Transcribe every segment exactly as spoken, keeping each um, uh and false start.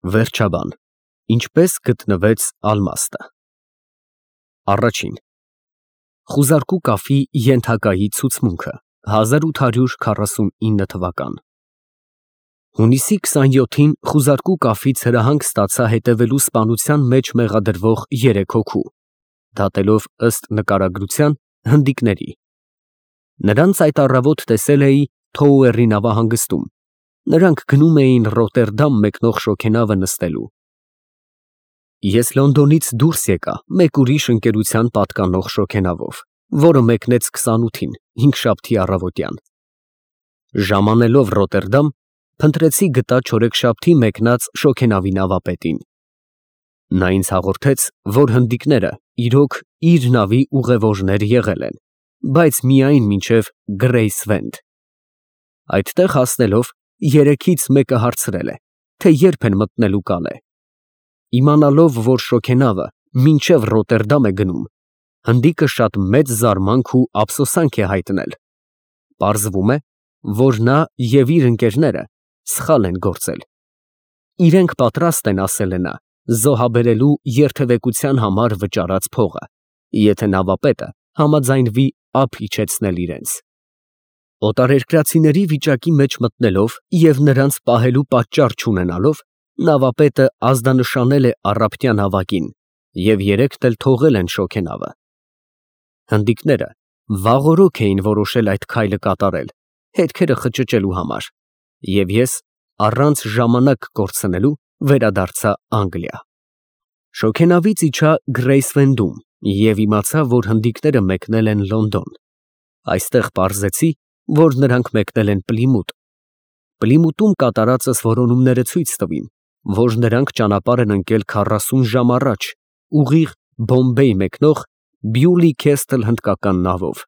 Վերջաբան, ինչպես գտնվեց ալմաստը։ Առաջին խուզարկու կաֆի ենթակայի ցուցմունքը հազար ութ հարյուր քառասունինը թվական Հունիսի քսանյոթին խուզարկու կաֆից հրահանգ ստացա հետևելու սպանության մեջ մեղադրվող երեք հոգու, դատելով ըստ նկարագրության հնդիկների։ Նրանց այդ առավոտ տեսել էի Թոուերի նավահանգստում, նրանք գնում էին Ռոտերդամ մեկնող շոգենավը նստելու։ Ես Լոնդոնից դուրս եկա մեկ ուրիշ ընկերության պատկանող շոգենավով, որը մեկնեց քսանութին, հինգշաբթի առավոտյան։ Ժամանելով Ռոտերդամ, փնտրեցի գտա չորեքշաբթի մեկնած շոգենավի նավապետին։ Նա ինձ հաղորդեց, որ հնդիկները իրոք իր նավի ուղևորներ եղել են, բայց միայն մինչև Գրեյսվենդ։ Այդտեղ հասնելով, երեքից մեկը հարցրել է, թե երբ են մտնելու Կալե։ Իմանալով, որ շոգենավը մինչև Ռոտերդամ է գնում, հնդիկը շատ մեծ զարմանք ու ափսոսանք է հայտնել։ Պարզվում է, որ նա և իր ընկերները սխալ են գործել։ Իրենք պատրաստ են, ասել է նա, զոհաբերելու երթևեկության համար վճարած փողը, եթե նավապետը համաձայնվի ափ իջեցնել իրենց։ Օտարերկրացիների վիճակի մեջ մտնելով և նրանց պահելու պատճառ չունենալով, նավապետը ազդանշանել է առափնյա նավակին և երեքն էլ թողել են շոգենավը։ Հնդիկները վաղօրոք էին որոշել այդ քայլը կատարել, հետքերը խճճելու համար, և ես առանց ժամանակ կորցնելու վերադարձա Անգլիա։ Շոգենավից իջա Գրեյսվենդում և իմացա, որ հնդիկները մեկնել են Լոնդոն։ Այստեղ պարզեցի, որ նրանք մեկնել են Պլիմութ։ Պլիմութում կատարածս որոնումները ցույց տվին, որ նրանք ճանապարհ են ընկել քառասուն ժամ առաջ, ուղիղ Բոմբեյ մեկնող Բյուլի Քեսթլ հնդկական նավով,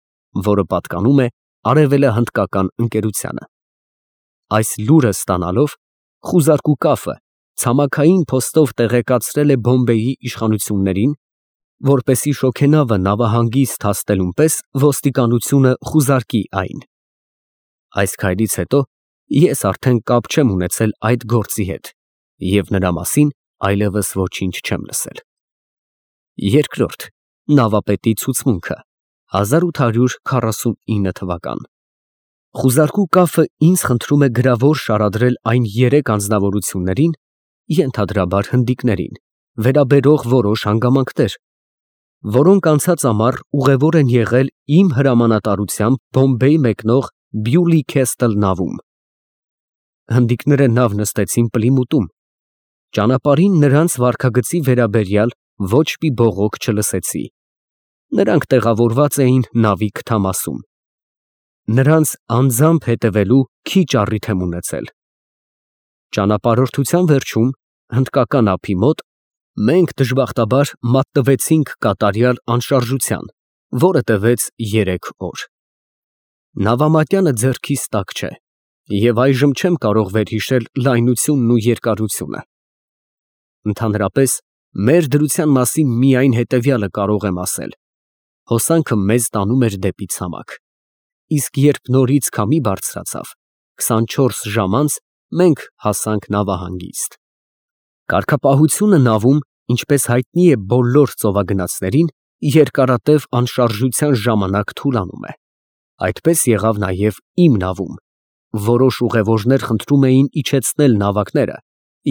որը պատկանում է արևելահնդկական ընկերությանը։ Այս լուրը ստանալով, խուզարկու կաֆը ցամաքային փոստով տեղեկացրել է Բոմբեյի իշխանություններին, որպեսզի շոգենավը նավահանգիստ հասնելուն պես ոստիկանությունը խուզարկի այն։ Այս քայլից հետո ես արդեն կապ չեմ ունեցել այդ գործի հետ և նրա մասին այլևս ոչինչ չեմ լսել։ Երկրորդ նավապետի ցուցմունքը հազար ութ հարյուր քառասունինը թվական Խուզարկու կաֆը ինձ խնդրում է գրավոր շարադրել այն երեք անձնավորություններին, ենթադրաբար հնդիկներին, վերաբերող որոշ հանգամանքներ, որոնք անցած ամառ ուղևոր են եղել իմ հրամանատարությամբ Բոմբեյ մեկնող Բյուլի Քեսթլ նավում։ Հնդիկները նավ նստեցին Պլիմութում։ Ճանապարհին նրանց վարքագծի վերաբերյալ ոչ մի բողոք չլսեցի։ Նրանք տեղավորված էին նավի քթամասում։ Նրանց անձամբ հետևելու քիչ առիթ եմ ունեցել։ Ճանապարհորդության վերջում, հնդկական ափի մոտ, մենք դժբախտաբար մատնվեցինք կատարյալ անշարժության, որը տևեց երեք օր։ Նավամատյանը ձեռքիս տակ չէ, և այժմ չեմ կարող վերհիշել լայնությունն ու երկարությունը։ Ընդհանրապես, մեր դրության մասին միայն հետևյալը կարող եմ ասել. հոսանքը մեզ տանում էր դեպի ցամաք, իսկ երբ նորից քամի բարձրացավ, քսանչորս ժամ անց մենք հասանք նավահանգիստ։ Կարգապահությունը նավում, ինչպես հայտնի է բոլոր ծովագնացներին, երկարատև անշարժության ժամանակ թուլանում է։ Այդպես եղավ նաև իմ նավում։ Որոշ ուղևորներ խնդրում էին իջեցնել նավակները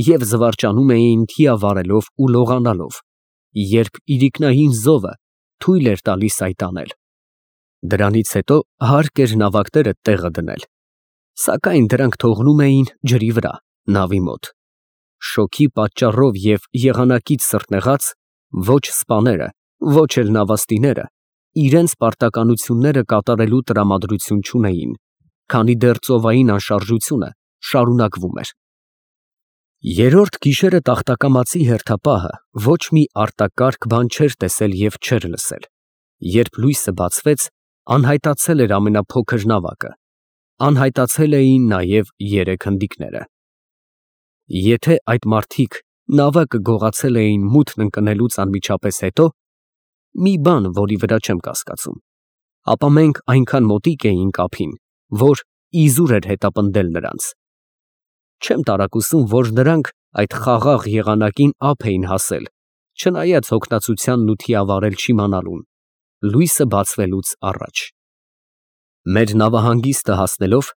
և զվարճանում էին թիա վարելով ու լողանալով, երբ իրիկնային զովը թույլ էր տալիս այդ անել։ Դրանից հետո հարկ էր նավակները տեղը դնել, սակայն դրանք թողնում էին ջրի վրա, նավի մոտ։ Շոկի պատճառով և եղանակից սրտնեղած, ոչ սպաները, ոչ էլ նավաստիները իրենց պարտականությունները կատարելու տրամադրություն չունեին, քանի դեռ ծովային անշարժությունը շարունակվում էր։ Երրորդ գիշերը տախտակամածի հերթապահը ոչ մի արտակարգ բան չէր տեսել և չէր լսել։ Երբ լույսը բացվեց, անհայտացել էր ամենափոքր նավակը, անհայտացել էին նաև երեք հնդիկները։ Եթե այդ մարդիկ նավակը գողացել էին մութն ընկնելուց անմիջապես հետո, մի բան, որի վրա չեմ կասկածում, ապա մենք այնքան մոտիկ էինք ափին, որ իզուր էր հետապնդել նրանց։ Չեմ տարակուսում, որ նրանք այդ խաղաղ եղանակին ափ էին հասել, չնայած հոգնածությանն ու թիավարել չիմանալուն, լույսը բացվելուց առաջ։ Մեր նավահանգիստը հասնելով,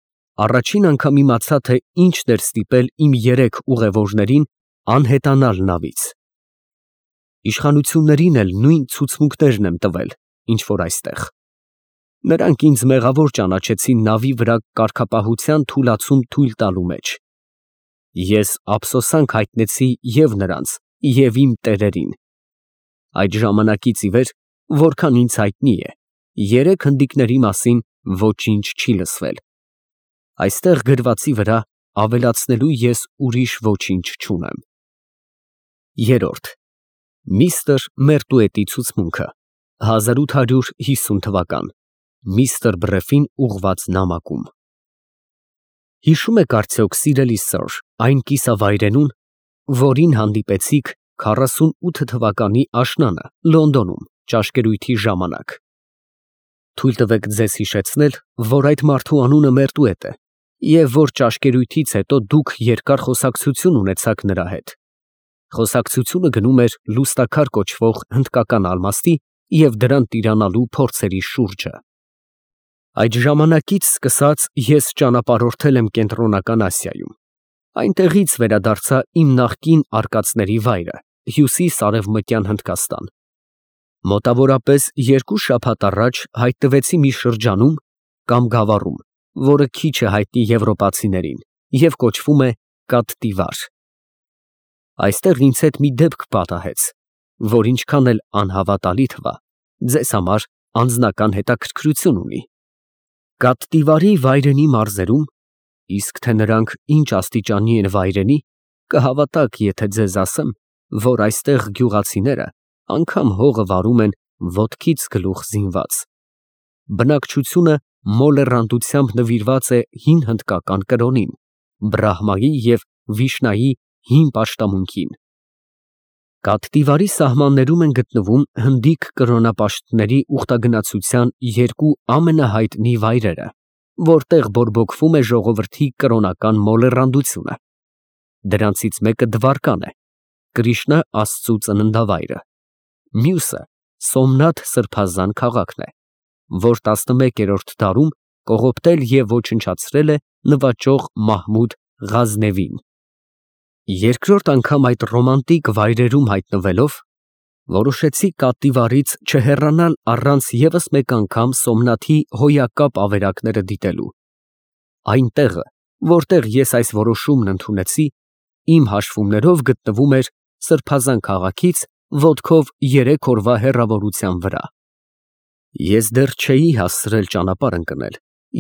առաջին անգամ իմացա, թե ինչն էր ստիպել իմ երեք ուղևորներին անհետանալ նավից։ Իշխանություններին էլ նույն ցուցմունքներն եմ տվել, ինչ որ այստեղ։ Նրանք ինձ մեղավոր ճանաչեցին նավի վրա կարգապահության թուլացում թույլ տալու մեջ։ Ես ափսոսանք հայտնեցի և նրանց, և իմ տերերին։ Այդ ժամանակից ի վեր, որքան ինձ հայտնի է, երեք հնդիկների մասին ոչինչ չի լսվել։ Այստեղ գրվածի վրա ավելացնելու ես ուրիշ ոչինչ չունեմ։ Երրորդ Միստր Մերտուետի ցուցմունքը հազար ութ հարյուր հիսուն թվական Միստր Բրեֆին ուղղված նամակում Հիշում եք արդյոք, սիրելի սըր, այն կիսավայրենուն, որին հանդիպեցիք քառասունութ թվականի աշնանը Լոնդոնում ճաշկերույթի ժամանակ։ Թույլ տվեք ձեզ հիշեցնել, որ այդ մարդու անունը Մերտուետ է, և որ ճաշկերույթից հետո դուք երկար խոսակցություն ունեցաք նրա հետ։ Խոսակցությունը գնում էր լուստաքար կոչվող հնդկական ալմաստի և դրան տիրանալու փորձերի շուրջը։ Այդ ժամանակից սկսած ես ճանապարհորդել եմ Կենտրոնական Ասիայում։ Այնտեղից վերադարձա իմ նախկին արկածների վայրը՝ հյուսիս֊արևմտյան Հնդկաստան։ Մոտավորապես երկու շաբաթ առաջ հայտնվեցի մի շրջանում կամ գավառում, որը քիչ է հայտնի եվրոպացիներին և կոչվում է Կաթտիվար։ Այստեղ ինձ հետ մի դեպք պատահեց, որ ինչքան էլ անհավատալի թվա, ձեզ համար անձնական հետաքրքրություն ունի։ Կաթտիվարի վայրենի մարզերում, իսկ թե նրանք ինչ աստիճանի են վայրենի, կհավատաք, եթե ձեզ ասեմ, որ այստեղ գյուղացիները անգամ հողը վարում են ոտքից գլուխ զինված։ Բնակչությունը մոլեռանդությամբ նվիրված է հին հնդկական կրոնին, Բրահմայի և Վիշնայի հին պաշտամունքին։ Կաթտիվարի սահմաններում են գտնվում հնդիկ կրոնապաշտների ուխտագնացության երկու ամենահայտնի վայրերը, որտեղ բորբոքվում է ժողովրդի կրոնական մոլեռանդությունը։ Դրանցից մեկը Դվարկան է, Կրիշնա աստծու ծննդավայրը, մյուսը Սոմնաթ սրբազան քաղաքն է, որ տասնմեկերորդ դարում կողոպտել և ոչնչացրել է նվաճող Մահմուդ Ղազնևին։ Երկրորդ անգամ այդ ռոմանտիկ վայրերում հայտնվելով, որոշեցի Կաթտիվարից չհեռանալ առանց ևս մեկ անգամ Սոմնաթի հոյակապ ավերակները դիտելու։ Այն տեղը, որտեղ ես այս որոշումն ընդունեցի, իմ հաշվումներով գտնվում էր Սրբազան քաղաքից ոտքով երեք օրվա հեռավորության վրա։ Ես դեռ չէի հասցրել ճանապարհ ընկնել,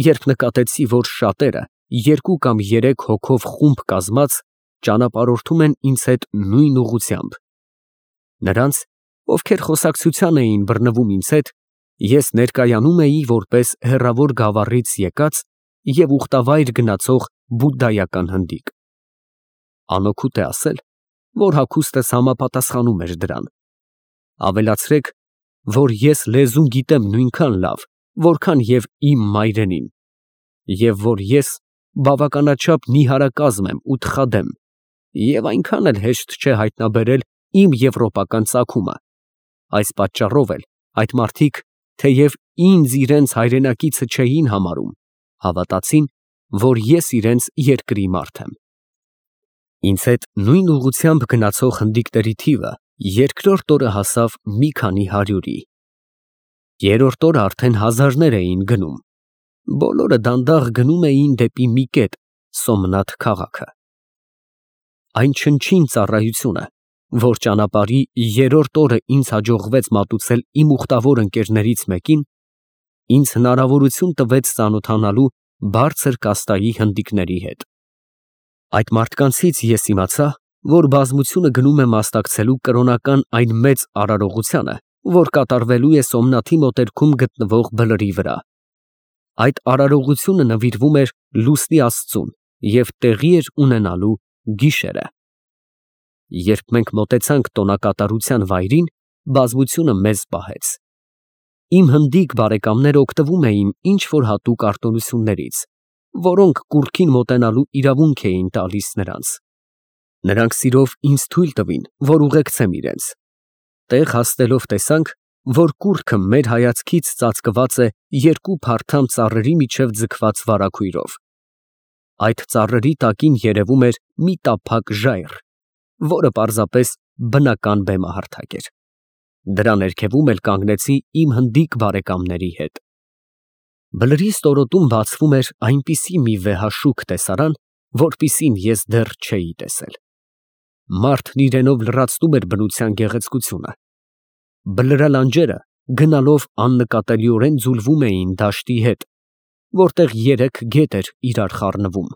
երբ նկատեցի, որ շատերը, երկու կամ երեք հոգով խումբ կազմած, ճանապարհորդում են ինձ հետ նույն ուղղությամբ։ Նրանց, ովքեր խոսակցության էին բռնվում ինձ հետ, ես ներկայանում էի որպես հեռավոր գավառից եկած և ուխտավայր գնացող բուդդայական հնդիկ։ Անօգուտ է ասել, որ հագուստս համապատասխանում էր դրան։ Ավելացրեք, որ ես լեզուն գիտեմ նույնքան լավ, որքան և իմ մայրենին, և որ ես բավականաչափ նիհարակազմ եմ ու թխադեմ, և այնքան էլ հեշտ չէ հայտնաբերել իմ եվրոպական ծագումը։ Այս պատճառով էլ այդ մարդիկ, թեև ինձ իրենց հայրենակիցը չէին համարում, հավատացին, որ ես իրենց երկրի մարդ եմ։ Ինձ հետ նույն ուղղությամբ գնացող հնդիկների թիվը երկրորդ օրը հասավ մի քանի հարյուրի։ Երրորդ օրը արդեն հազարներ էին գնում։ Բոլորը դանդաղ գնում էին դեպի մի կետ՝ Սոմնաթ քաղաքը։ Այն չնչին ծառայությունը, որ ճանապարհի երրորդ օրը ինձ հաջողվեց մատուցել իմ ուխտավոր ընկերներից մեկին, ինձ հնարավորություն տվեց ծանոթանալու բարձր կաստայի հնդիկների հետ։ Այդ մարդկանցից ես իմացա, որ բազմությունը գնում է մասնակցելու կրոնական այն մեծ արարողությանը, որ կատարվելու է Սոմնաթի մոտերքում գտնվող բլրի վրա։ Այդ արարողությունը նվիրվում էր լուսնի աստծուն և տեղի էր ունենալու գիշերը։ Երբ մենք մոտեցանք տոնակատարության վայրին, բազմությունը մեզ պահեց։ Իմ հնդիկ բարեկամները օգտվում էին ինչ֊որ հատուկ արտոնություններից, որոնք կուռքին մոտենալու իրավունք էին տալիս նրանց։ Նրանք սիրով ինձ թույլ տվին, որ ուղեկցեմ իրենց։ Տեղ հասնելով տեսանք, որ կուռքը մեր հայացքից ծածկված է երկու փարթամ ծառերի միջև ձգված վարագույրով։ Այդ ծառերի տակին երևում էր մի տափակ ժայռ, որը պարզապես բնական բեմահարթակ էր։ Դրա ներքևում էլ կանգնեցի իմ հնդիկ բարեկամների հետ։ Բլրի ստորոտում բացվում էր այնպիսի մի վեհաշուք տեսարան, որպիսին ես դեռ չէի տեսել։ Մարդն իրենով լրացնում էր բնության գեղեցկությունը։ Բլրալանջերը գնալով աննկատելիորեն ձուլվում էին դաշտի հետ, որտեղ երեք գետ էր իրար խառնվում։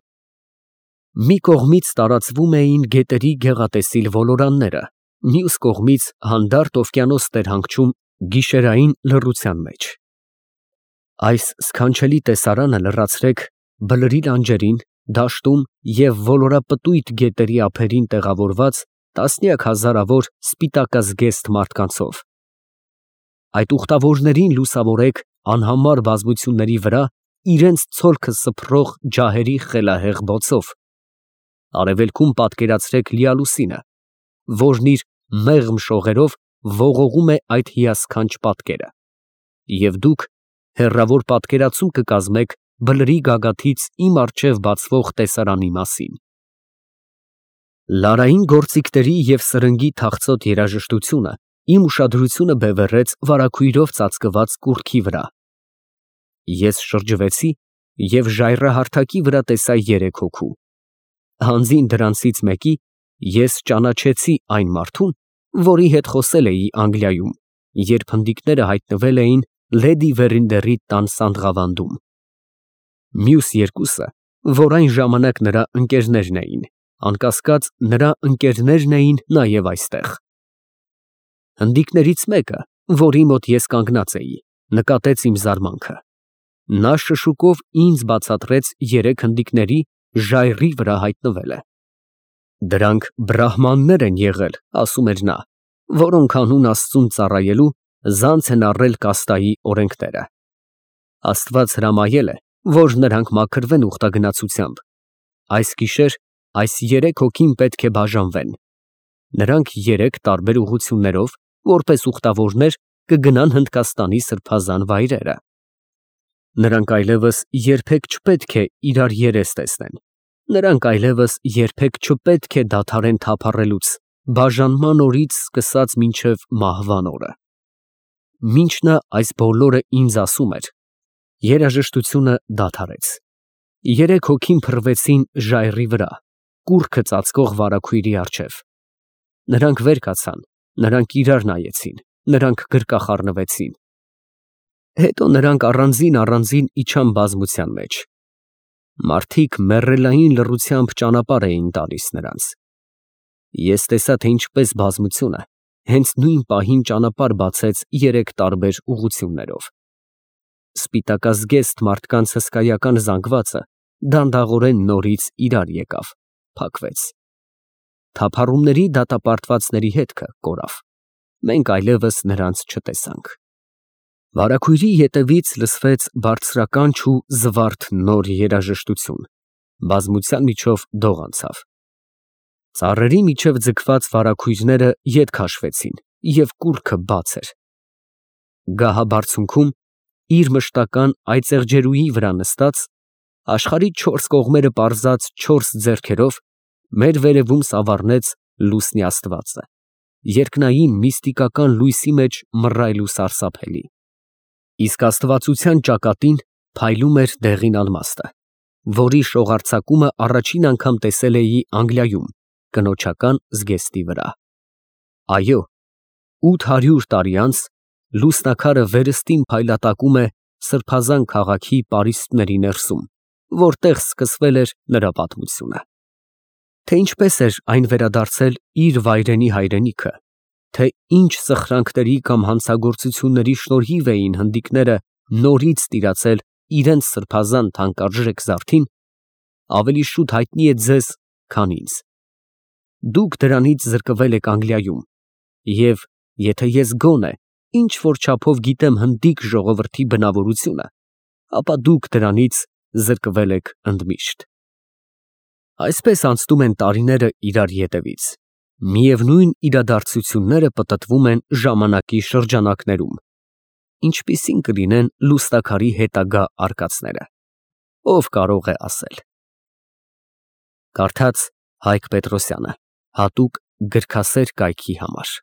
Մի կողմից տարածվում էին գետերի գեղատեսիլ ոլորանները, մյուս կողմից հանդարտ օվկիանոսն էր հանգչում գիշերային լռության մեջ։ Այս սքանչելի տեսարանը լրացրեք բլրի լանջերին, դաշտում և ոլորապտույտ գետերի ափերին տեղավորված տասնյակ հազարավոր սպիտակազգեստ մարդկանցով։ Այդ ուխտավորներին լուսավորեք անհամար բազմությունների վրա իրենց ցոլքը սփռող ջահերի խելահեղ բոցով։ Արևելքում պատկերացրեք լիալուսինը, որն իր մեղմ շողերով ողողում է այդ հիասքանչ պատկերը, և դուք հեռավոր պատկերացում կկազմեք բլրի գագաթից իմ առջև բացվող տեսարանի մասին։ Լարային գործիքների և սրնգի թախծոտ երաժշտությունը իմ ուշադրությունը բևեռեց վարագույրով ծածկված կուռքի վրա։ Ես շրջվեցի և ժայռահարթակի վրա տեսա երեք հոգու։ Հանձին դրանցից մեկի ես ճանաչեցի այն մարդուն, որի հետ խոսել էի Անգլիայում, երբ հնդիկները հայտնվել էին լեդի Վերինդերի տան սանդղավանդում։ Մյուս երկուսը, որ այն ժամանակ նրա ընկերներն էին, անկասկած նրա ընկերներն էին նաև այստեղ։ Հնդիկներից մեկը, որի մոտ ես կանգնած էի, նկատեց իմ զարմանքը։ Նա շշուկով ինձ բացատրեց երեք հնդիկների ժայռի վրա հայտնվելը։ Դրանք բրահմաններ են եղել, ասում էր նա, որոնք հանուն Աստծուն ծառայելու զանց են առել կաստայի օրենքները։ Աստված հրամայել է, որ նրանք մաքրվեն ուխտագնացությամբ։ Այս գիշեր այս երեք հոգին պետք է բաժանվեն։ Նրանք երեք տարբեր ուղղություններով, որպես ուխտավորներ, կգնան Հնդկաստանի սրբազան վայրերը։ Նրանք այլևս երբեք չպետք է իրար երես տեսնեն։ Նրանք այլևս երբեք չպետք է դադարեն թափառելուց, բաժանման օրից սկսած մինչև մահվան օրը։ Մինչ նա այս բոլորը ինձ ասում էր, երաժշտությունը դադարեց։ Երեք հոգին փռվեցին ժայռի վրա, կուռքը ծածկող վարագույրի առջև։ Նրանք վեր կացան, նրանք իրար նայեցին, նրանք գրկախառնվեցին։ Հետո նրանք առանձին֊առանձին իջան բազմության մեջ։ Մարդիկ մեռելային լռությամբ ճանապարհ էին տալիս նրանց։ Ես տեսա, թե ինչպես բազմությունը հենց նույն պահին ճանապարհ բացեց երեք տարբեր ուղղություններով։ Սպիտակազգեստ մարդկանց հսկայական զանգվածը դանդաղորեն նորից իրար եկավ, փակվեց։ Թափառումների դատապարտվածների հետքը կորավ։ Մենք այլևս նրանց չտեսանք։ Վարագույրի ետևից լսվեց բարձրականչ ու զվարթ նոր երաժշտություն, բազմության միջով դող անցավ։ Ծառերի միջև ձգված վարագույրները ետ քաշվեցին, և կուռքը բաց էր։ Գահաբարձունքում, իր մշտական այծեղջերուի վրա նստած, աշխարհի չորս կողմերը պարզած չորս ձեռքերով, մեր վերևում սավառնեց լուսնի աստվածը, երկնային միստիկական լույսի մեջ մռայլ ու սարսափելի։ Իսկ աստվածության ճակատին փայլում էր դեղին ալմաստը, որի շողարձակումը առաջին անգամ տեսել էի Անգլիայում, կնոջական զգեստի վրա։ Այո, ութ հարյուր տարի անց լուսնաքարը վերստին փայլատակում է սրբազան քաղաքի պարիսպների ներսում, որտեղ սկսվել էր նրա պատմությունը։ Թե ինչպես էր այն վերադարձել իր վայրենի հայրենիքը, թե ինչ սխրանքների կամ հանցագործությունների շնորհիվ էին հնդիկները նորից տիրացել իրենց սրբազան թանկարժեք զարդին, ավելի շուտ հայտնի է ձեզ, քան ինձ։ Դուք դրանից զրկվել եք Անգլիայում, և եթե ես գոնե ինչ֊որ չափով գիտեմ հնդիկ ժողովրդի բնավորությունը, ապա դուք դրանից զրկվել եք ընդմիշտ։ Այսպես անցնում են տարիները իրար ետևից, միևնույն իրադարձությունները պտտվում են ժամանակի շրջանակներում, ինչպիսին կլինեն լուստաքարի հետագա արկածները, ով կարող է ասել։ Կարդաց Հայկ Պետրոսյանը, հատուկ գրքասեր կայքի համար։